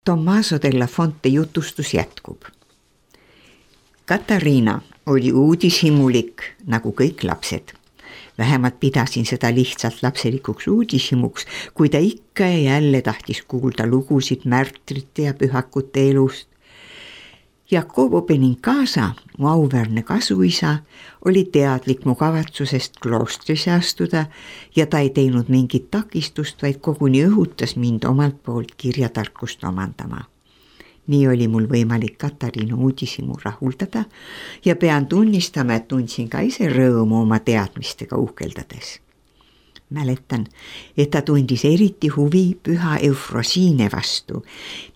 Tommaso della Fonte jutustus jätkub. Katariina oli uudishimulik nagu kõik lapsed. Vähemalt pidasin seda lihtsalt lapselikuks uudishimuks, kui ta ikka ja jälle tahtis kuulda lugusid märtrite ja pühakute elust. Jakobo Benincasa, mu auväärne kasuisa, oli teadlik mu kavatsusest kloostrisse astuda ja ta ei teinud mingit takistust, vaid koguni õhutas mind omalt poolt kirjatarkust omandama. Nii oli mul võimalik Katariina uudishimu rahuldada ja pean tunnistama, et tundsin ka ise rõõmu oma teadmistega uhkeldades. Mäletan, et ta tundis eriti huvi püha Eufrosiine vastu,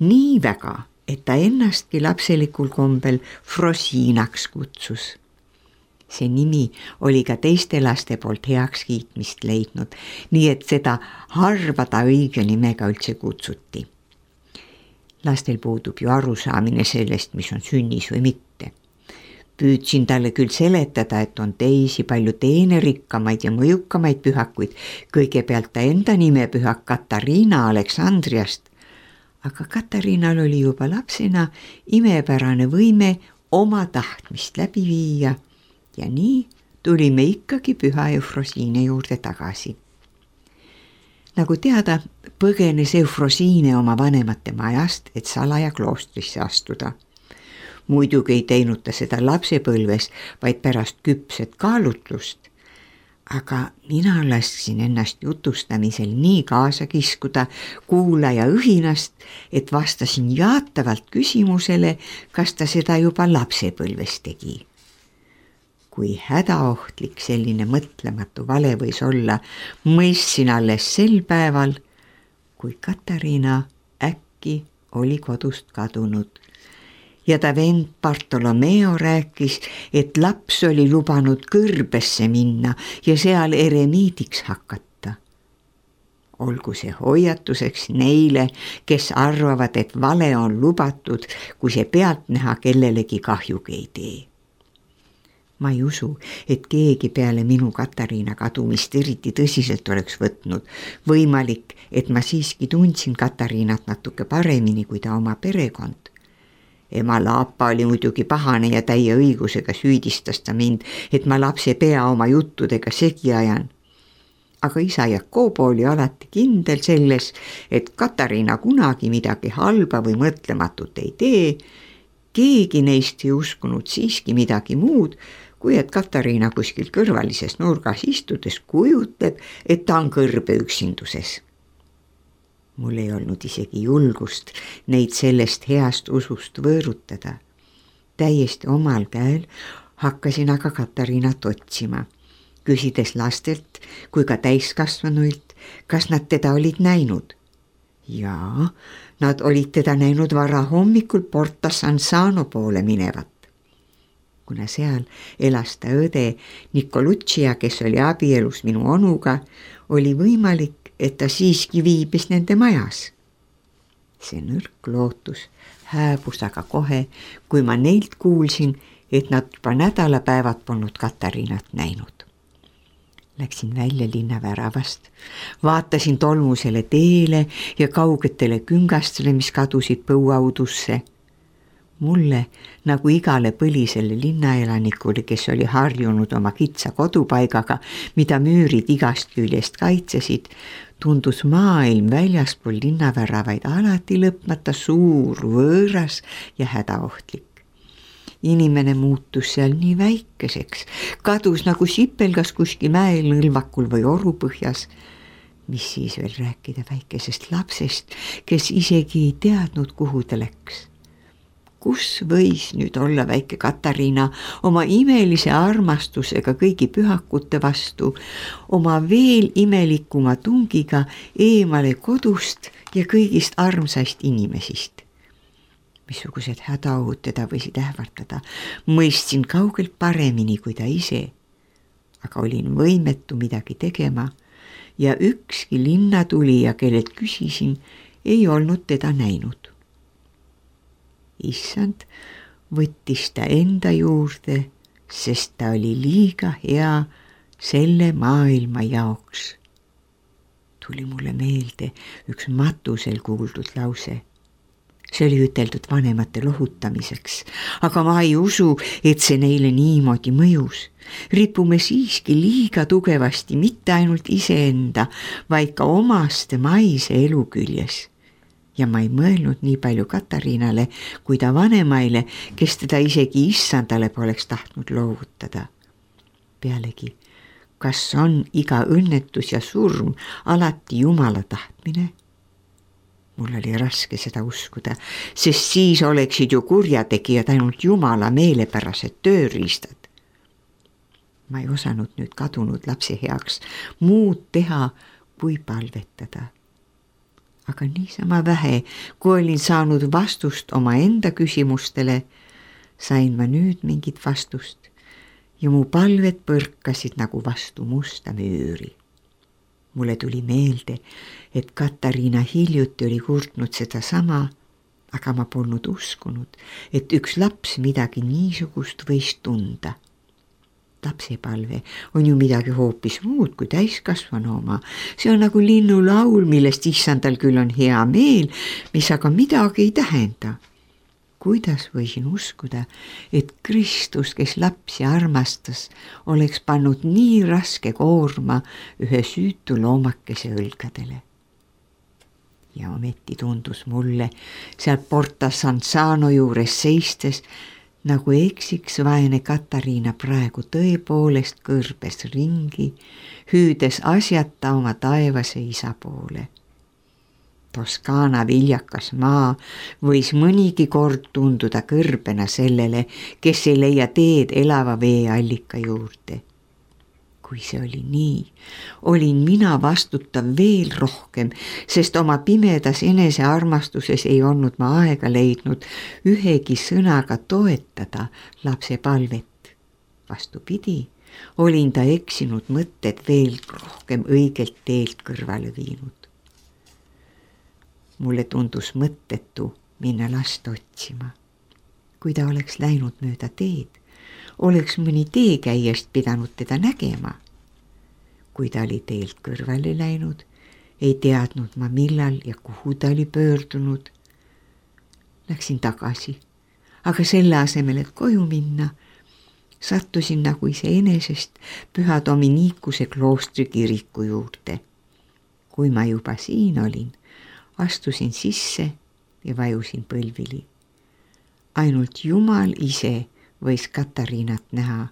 nii väga, et ta ennastki lapselikul kombel Frosiinaks kutsus. See nimi oli ka teiste laste poolt heaks kiitmist leidnud, nii et seda harva ta õige nimega üldse kutsuti. Lastel puudub ju arusaamine sellest, mis on sünnis või mitte. Püüdsin talle küll seletada, et on teisi palju teenerikkamaid ja mõjukamaid pühakuid, kõigepealt ta enda nimepühak Katariina Aleksandriast, aga Katariinal oli juba lapsena imepärane võime oma tahtmist läbi viia ja nii tulime ikkagi püha Eufrosiine juurde tagasi. Nagu teada, põgenes Eufrosiine oma vanemate majast, et salaja kloostrisse astuda. Muidugi ei teinud ta seda lapsepõlves, vaid pärast küpset kaalutlust. Aga mina lasksin ennast jutustamisel nii kaasa kiskuda kuulaja õhinast, et vastasin jaatavalt küsimusele, kas ta seda juba lapsepõlves tegi. Kui hädaohtlik selline mõtlematu vale võis olla, mõistsin alles sel päeval, kui Katariina äkki oli kodust kadunud. Ja ta vend Bartolomeo rääkis, et laps oli lubanud kõrbesse minna ja seal eremiidiks hakata. Olgu see hoiatuseks neile, kes arvavad, et vale on lubatud, kui see pealtnäha kellelegi kahjugi ei tee. Ma ei usu, et keegi peale minu Katariina kadumist eriti tõsiselt oleks võtnud. Võimalik, et ma siiski tundsin Katariinat natuke paremini kui ta oma perekond. Ema Laapa oli muidugi pahane ja täie õigusega süüdistas ta mind, et ma lapse pea oma juttudega segi ajan. Aga isa Jakobo oli alati kindel selles, et Katariina kunagi midagi halba või mõtlematut ei tee. Keegi neist ei uskunud siiski midagi muud, kui et Katariina kuskil kõrvalises nurgas istudes kujutleb, et ta on kõrbe üksinduses. Mul ei olnud isegi julgust neid sellest heast usust võõrutada. Täiesti omal käel hakkasin aga Katariinat otsima, küsides lastelt kui ka täiskasvanuilt, kas nad teda olid näinud. Jaa, nad olid teda näinud varahommikul Porta San Sano poole minevat. Kuna seal elas ta õde Nicoluccia, kes oli abielus minu onuga, oli võimalik, et ta siiski viibis nende majas. See nõrk lootus hääbus aga kohe, kui ma neilt kuulsin, et nad juba nädalapäevad polnud Katariinat näinud. Läksin välja linnaväravast, vaatasin tolmusele teele ja kaugetele küngastele, mis kadusid põuaudusse. Mulle, nagu igale põlisele linnaelanikule, kes oli harjunud oma kitsa kodupaigaga, mida müürid igast küljest kaitsesid, tundus maailm väljaspool linnaväravaid alati lõpmata suur, võõras ja hädaohtlik. Inimene muutus seal nii väikeseks, kadus nagu sipelgas kuskil mäel nõlvakul või orupõhjas. Mis siis veel rääkida väikesest lapsest, kes isegi ei teadnud, kuhu ta läks. Kus võis nüüd olla väike Katariina oma imelise armastusega kõigi pühakute vastu, oma veel imelikuma tungiga eemale kodust ja kõigist armsaist inimesist? Missugused hädaohud teda võisid ähvardada, mõistsin kaugelt paremini kui ta ise, aga olin võimetu midagi tegema ja ükski linnatulija, kellelt küsisin, ei olnud teda näinud. Issand võttis ta enda juurde, sest ta oli liiga hea selle maailma jaoks. Tuli mulle meelde üks matusel kuuldud lause. See oli üteldud vanemate lohutamiseks, aga ma ei usu, et see neile niimoodi mõjus. Ripume siiski liiga tugevasti mitte ainult iseenda, vaid ka omaste maise elu küljes. Ja ma ei mõelnud nii palju Katariinale kui ta vanemaile, kes teda isegi issandale poleks tahtnud loovutada. Pealegi, kas on iga õnnetus ja surm alati Jumala tahtmine? Mul oli raske seda uskuda, sest siis oleksid ju kurjategijad ainult Jumala meelepärased tööriistad. Ma ei osanud nüüd kadunud lapse heaks muud teha, kui palvetada. Aga niisama vähe, kui olin saanud vastust oma enda küsimustele, sain ma nüüd mingit vastust ja mu palved põrkasid nagu vastu musta müüri. Mulle tuli meelde, et Katariina hiljuti oli kurtnud seda sama, aga ma polnud uskunud, et üks laps midagi niisugust võis tunda. Lapsepalve on ju midagi hoopis muud kui täiskasvanu oma. See on nagu linnulaul, millest issandal küll on hea meel, mis aga midagi ei tähenda. Kuidas võisin uskuda, et Kristus, kes lapsi armastas, oleks pannud nii raske koorma ühe süütu loomakese õlgadele? Ja ometi tundus mulle seal Porta Sansano juures seistes, nagu eksiks vaene Katariina praegu tõepoolest kõrbes ringi, hüüdes asjata oma taevase isa poole. Toskaana viljakas maa võis mõnigi kord tunduda kõrbena sellele, kes ei leia teed elava veeallika juurde. Kui see oli nii, olin mina vastutav veel rohkem, sest oma pimedas enesearmastuses ei olnud ma aega leidnud ühegi sõnaga toetada lapse palvet. Vastupidi, olin ta eksinud mõtted veel rohkem õigelt teelt kõrvale viinud. Mulle tundus mõttetu minna last otsima. Kui ta oleks läinud mööda teed, oleks mõni teekäijast pidanud teda nägema. Kui ta oli teelt kõrvale läinud, ei teadnud ma millal ja kuhu ta oli pöördunud. Läksin tagasi, aga selle asemel, et koju minna, sattusin nagu iseenesest Püha Dominikuse kloostri kiriku juurde. Kui ma juba siin olin, astusin sisse ja vajusin põlvili. Ainult Jumal ise võis Katariinat näha,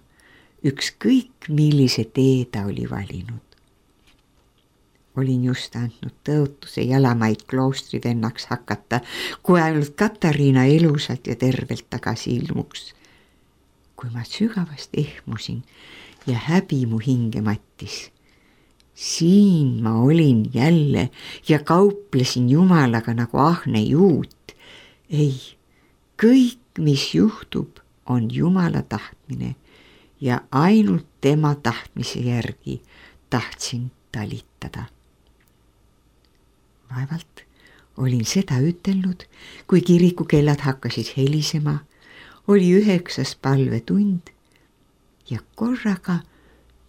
ükskõik millise tee ta oli valinud. Olin just andnud tõotuse jalamaid kloostrivennaks hakata, kui ainult Katariina elusalt ja tervelt tagasi ilmuks. Kui ma sügavast ehmusin ja häbi mu hinge mattis. Siin ma olin jälle ja kauplesin Jumalaga nagu ahne juut. Ei, kõik, mis juhtub, on Jumala tahtmine ja ainult tema tahtmise järgi tahtsin talitada. Vaevalt olin seda ütelnud, kui kirikukellad hakkasid helisema, oli 9. palvetund ja korraga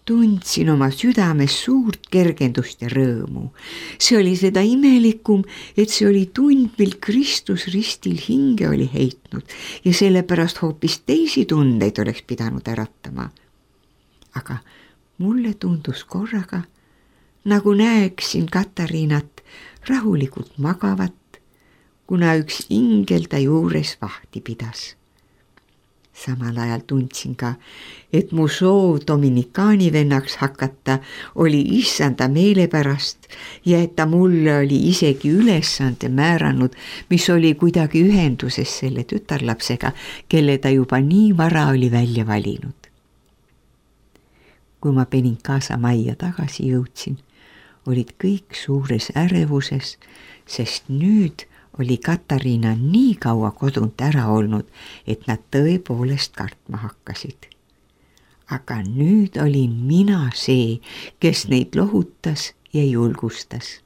tundsin oma südames suurt kergendust ja rõõmu. See oli seda imelikum, et see oli tund, mil Kristus ristil hinge oli heitnud ja sellepärast hoopis teisi tundeid oleks pidanud äratama. Aga mulle tundus korraga, nagu näeksin Katariinat rahulikult magavat, kuna üks ingel ta juures vahti pidas. Samal ajal tundsin ka, et mu soov dominikaani vennaks hakata oli issanda meelepärast ja et ta mulle oli isegi ülesande määranud, mis oli kuidagi ühenduses selle tütarlapsega, kelle ta juba nii vara oli välja valinud. Kui ma Benincasa majja tagasi jõudsin, olid kõik suures ärevuses, sest nüüd oli Katariina nii kaua kodunt ära olnud, et nad tõepoolest kartma hakkasid. Aga nüüd olin mina see, kes neid lohutas ja julgustas.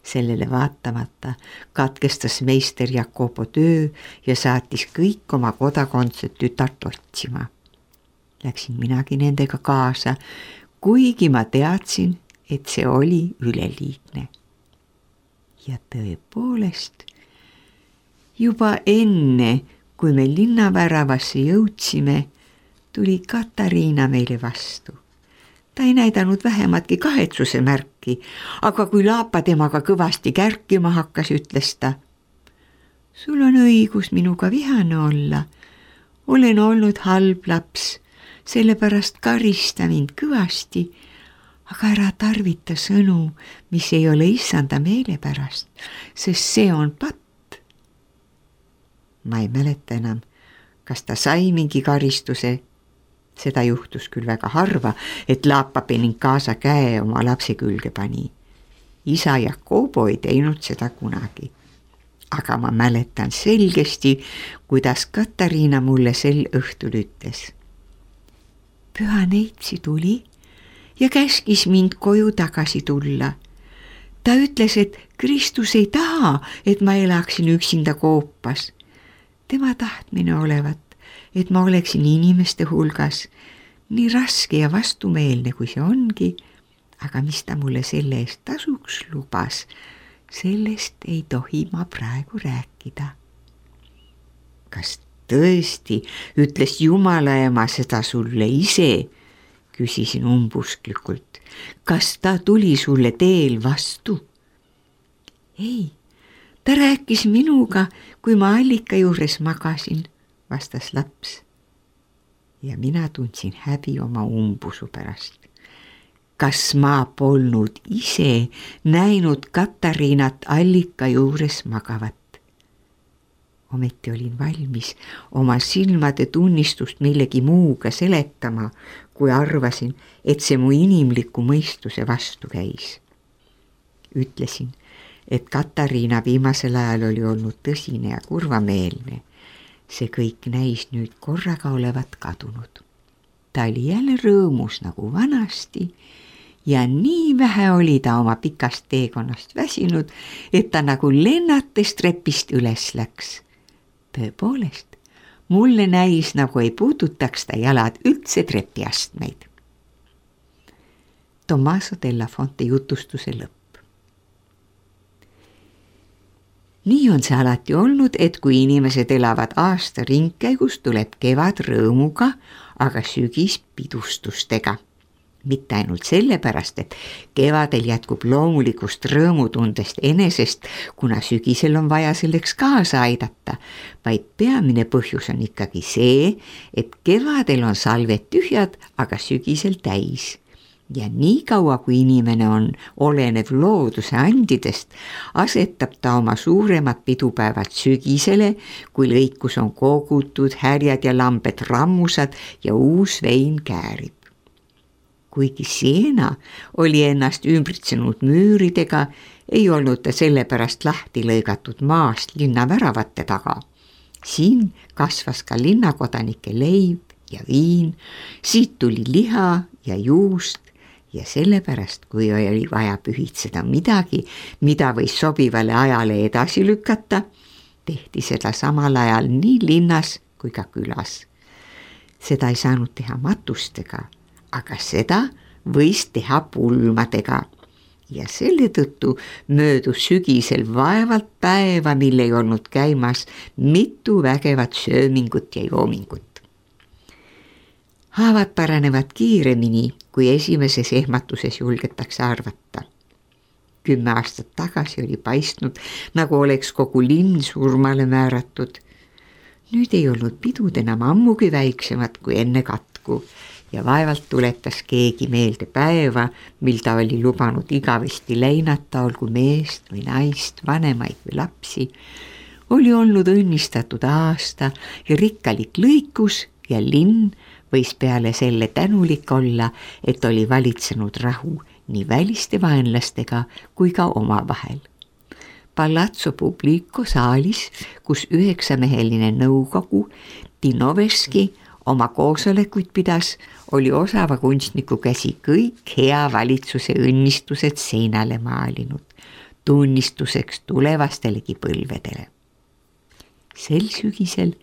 Sellele vaatamata katkestas meister Jacobo töö ja saatis kõik oma kodakondset tütart otsima. Läksin minagi nendega kaasa, kuigi ma teadsin, et see oli üleliigne. Ja tõepoolest, Juba enne, kui me linnaväravasse jõudsime, tuli Katariina meile vastu. Ta ei näidanud vähematki kahetsuse märki, aga kui Laapa temaga kõvasti kärkima hakkas, ütles ta: sul on õigus minuga vihane olla. Olen olnud halb laps, sellepärast karista mind kõvasti, aga ära tarvita sõnu, mis ei ole issanda meele pärast, sest see on patt. Ma ei mäleta enam, kas ta sai mingi karistuse. Seda juhtus küll väga harva, et Laapa Benincaza käe oma lapse külge pani. Isa Jakobo ei teinud seda kunagi. Aga ma mäletan selgesti, kuidas Katariina mulle sel õhtul ütles. Püha neitsi tuli ja käskis mind koju tagasi tulla. Ta ütles, et Kristus ei taha, et ma elaksin üksinda koopas. Tema tahtmine olevat, et ma oleksin inimeste hulgas, nii raske ja vastumeelne kui see ongi, aga mis ta mulle selle eest tasuks lubas, sellest ei tohi ma praegu rääkida. Kas tõesti ütles Jumala ema seda sulle ise? Küsisin umbusklikult. Kas ta tuli sulle teel vastu? Ei, ta rääkis minuga, kui ma allika juures magasin, vastas laps. Ja mina tundsin häbi oma umbusu pärast. Kas ma polnud ise näinud Katariinat allika juures magavat? Ometi olin valmis oma silmade tunnistust millegi muuga seletama, kui arvasin, et see mu inimliku mõistuse vastu käis. Ütlesin, et Katariina viimasel ajal oli olnud tõsine ja kurvameelne. See kõik näis nüüd korraga olevat kadunud. Ta oli jälle rõõmus nagu vanasti ja nii vähe oli ta oma pikast teekonnast väsinud, et ta nagu lennates trepist üles läks. Tõepoolest, mulle näis, nagu ei puudutaks ta jalad üldse trepiastmeid. Tommaso della Fonte jutustuse lõpp. Nii on see alati olnud, et kui inimesed elavad aasta ringkäigus, tuleb kevad rõõmuga, aga sügis pidustustega. Mitte ainult sellepärast, et kevadel jätkub loomulikust rõõmutundest enesest, kuna sügisel on vaja selleks kaasa aidata, vaid peamine põhjus on ikkagi see, et kevadel on salved tühjad, aga sügisel täis. Ja nii kaua, kui inimene on olenev looduse andidest, asetab ta oma suuremad pidupäevad sügisele, kui lõikus on kogutud, härjad ja lambed rammusad ja uus vein käärib. Kuigi Siena oli ennast ümbritsenud müüridega, ei olnud ta sellepärast lahti lõigatud maast linnaväravate taga. Siin kasvas ka linnakodanike leib ja viin, siit tuli liha ja juust, ja sellepärast, kui oli vaja pühitseda midagi, mida võis sobivale ajale edasi lükata, tehti seda samal ajal nii linnas kui ka külas. Seda ei saanud teha matustega, aga seda võis teha pulmadega. Ja selle tõttu möödus sügisel vaevalt päeva, mille ei olnud käimas mitu vägevat söömingut ja joomingut. Haavad paranevad kiiremini, kui esimeses ehmatuses julgetakse arvata. 10 aastat tagasi oli paistnud, nagu oleks kogu linn surmale määratud. Nüüd ei olnud pidud enam ammugi väiksemad kui enne katku ja vaevalt tuletas keegi meelde päeva, mil ta oli lubanud igavesti leinata, olgu meest või naist, vanemaid või lapsi. Oli olnud õnnistatud aasta ja rikkalik lõikus ja linn võis peale selle tänulik olla, et oli valitsenud rahu nii väliste vaenlastega kui ka omavahel. Palazzo Publico saalis, kus 9-meheline nõukogu Tinoveski oma koosolekuid pidas, oli osava kunstniku käsi kõik hea valitsuse õnnistused seinale maalinud, tunnistuseks tulevastelegi põlvedele. Sel sügisel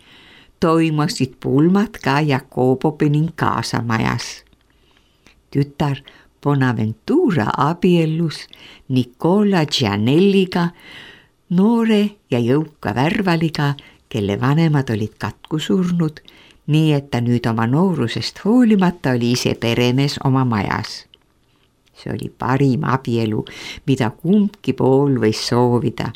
toimusid pulmad ka Jakobo Benincaza majas. Tütar Bonaventura abiellus Nicola Gianelliga noore ja jõuka värvaliga, kelle vanemad olid katku surnud, nii et ta nüüd oma noorusest hoolimata oli ise peremees oma majas. See oli parim abielu, mida kumbki pool võis soovida,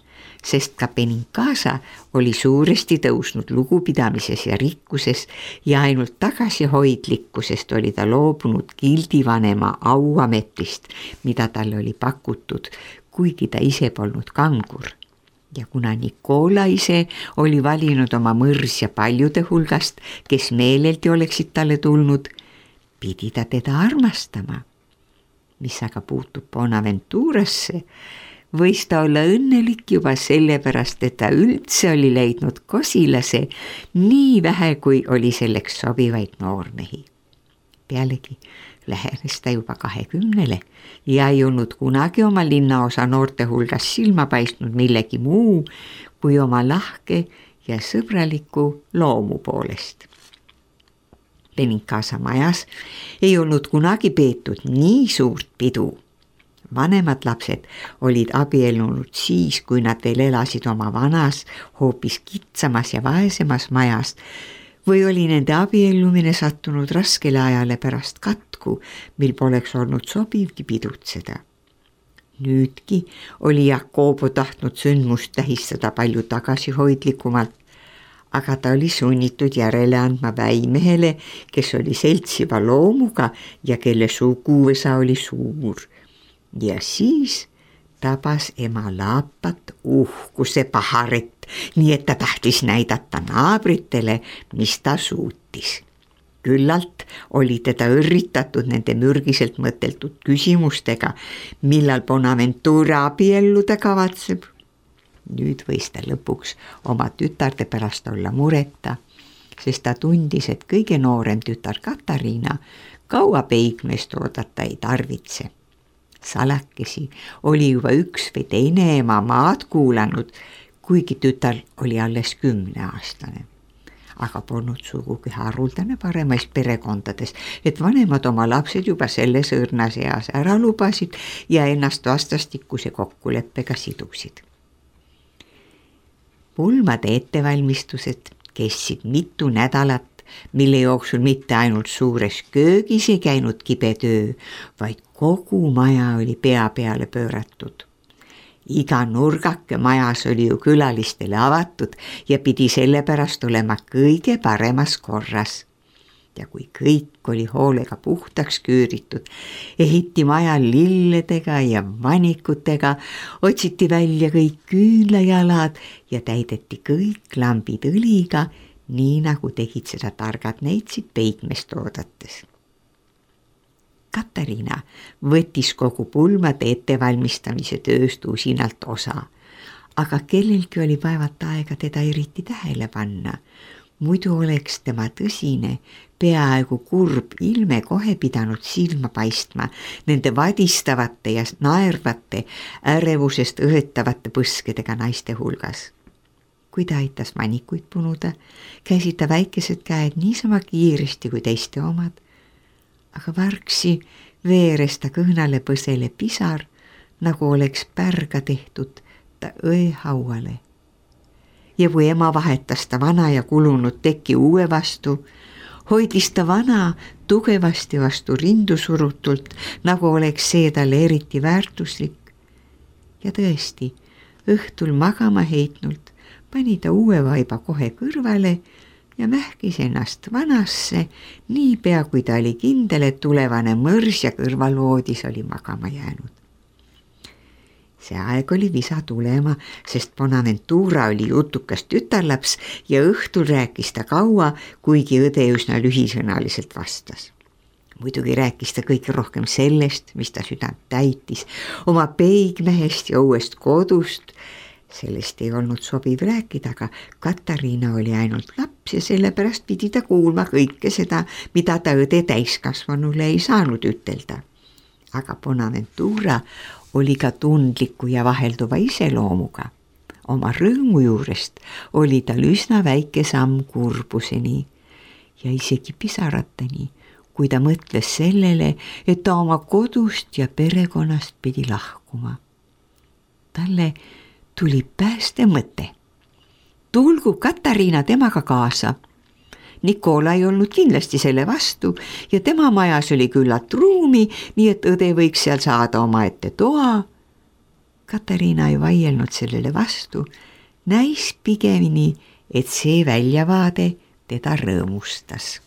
sest ka Benincasa oli suuresti tõusnud lugupidamises ja rikkuses ja ainult tagasihoidlikkusest oli ta loobunud gildivanema auametist, mida talle oli pakutud, kuigi ta ise polnud kangur. Ja kuna Nicola ise oli valinud oma mõrsja paljude hulgast, kes meeleldi oleksid talle tulnud, pidi ta teda armastama. Mis aga puutub Bonaventurasse, võis ta olla õnnelik juba sellepärast, et ta üldse oli leidnud kosilase nii vähe, kui oli selleks sobivaid noormehi. Pealegi lähenes ta juba 20 ja ei olnud kunagi oma linnaosa noorte hulgas silma paistnud millegi muu kui oma lahke ja sõbraliku loomu poolest. Benincasa majas ei olnud kunagi peetud nii suurt pidu. Vanemad lapsed olid abiellunud siis, kui nad veel elasid oma vanas, hoopis kitsamas ja vaesemas majas, või oli nende abiellumine sattunud raskele ajale pärast katku, mil poleks olnud sobivgi pidutseda. Nüüdki oli Jacobo tahtnud sündmust tähistada palju tagasihoidlikumalt, aga ta oli sunnitud järele andma väimehele, kes oli seltsiva loomuga ja kelle suguvõsa oli suur. Ja siis tabas ema laapat uhkuse paharet, nii et ta tahtis näidata naabritele, mis ta suutis. Küllalt oli teda õrritatud nende mürgiselt mõteltud küsimustega, millal Bonaventura abielluda kavatseb. Nüüd võis ta lõpuks oma tütarde pärast olla mureta, sest ta tundis, et kõige noorem tütar Katariina kaua peigmeest oodata ei tarvitse. Salakesi oli juba üks või teine ema maad kuulanud, kuigi tütar oli alles 10-aastane. Aga polnud sugugi haruldane paremais perekondades, et vanemad oma lapsed juba selles õrnas eas ära lubasid ja ennast vastastikuse kokkuleppega sidusid. Pulmade ettevalmistused kestsid mitu nädalat, mille jooksul mitte ainult suures köögis ei käinud kibe töö, vaid kogu maja oli pea peale pööratud. Iga nurgake majas oli ju külalistele avatud ja pidi sellepärast olema kõige paremas korras. Ja kui kõik oli hoolega puhtaks küüritud, ehiti maja lilledega ja vanikutega, otsiti välja kõik küünlajalad ja täideti kõik lambid õliga, nii nagu tegid seda targad neitsid peigmest oodates. Katariina võttis kogu pulmade ettevalmistamise tööst usinalt osa, aga kellelgi oli vaevalt aega teda eriti tähele panna. Muidu oleks tema tõsine, peaaegu kurb ilme kohe pidanud silma paistma nende vadistavate ja naervate, ärevusest õhetavate põskedega naiste hulgas. Kui ta aitas manikuid punuda, käisid ta väikesed käed niisama kiiresti kui teiste omad, aga vargsi veeres ta kõhnale põsele pisar, nagu oleks pärga tehtud ta õehauale. Ja kui ema vahetas ta vana ja kulunud teki uue vastu, hoidis ta vana tugevasti vastu rindu surutult, nagu oleks see talle eriti väärtuslik. Ja tõesti, õhtul magama heitnult pani ta uue vaiba kohe kõrvale ja mähkis ennast vanasse, niipea kui ta oli kindel, et tulevane mõrs ja kõrvalvoodis oli magama jäänud. See aeg oli visa tulema, sest Bonaventura oli jutukas tütarlaps ja õhtul rääkis ta kaua, kuigi õde üsna lühisõnaliselt vastas. Muidugi rääkis ta kõige rohkem sellest, mis ta südant täitis, oma peigmehest ja uuest kodust. Sellest ei olnud sobiv rääkida, aga Katariina oli ainult laps ja sellepärast pidi ta kuulma kõike seda, mida ta õde täiskasvanule ei saanud ütelda. Aga Bonaventura oli ka tundliku ja vahelduva iseloomuga. Oma rõõmu juurest oli tal üsna väike samm kurbuseni ja isegi pisarateni, kui ta mõtles sellele, et ta oma kodust ja perekonnast pidi lahkuma. Talle tuli pääste mõte. Tulgu Katariina temaga kaasa. Nikola ei olnud kindlasti selle vastu ja tema majas oli küllalt ruumi, nii et õde võiks seal saada omaette toa. Katariina ei vaielnud sellele vastu, näis pigemini, et see väljavaade teda rõõmustas.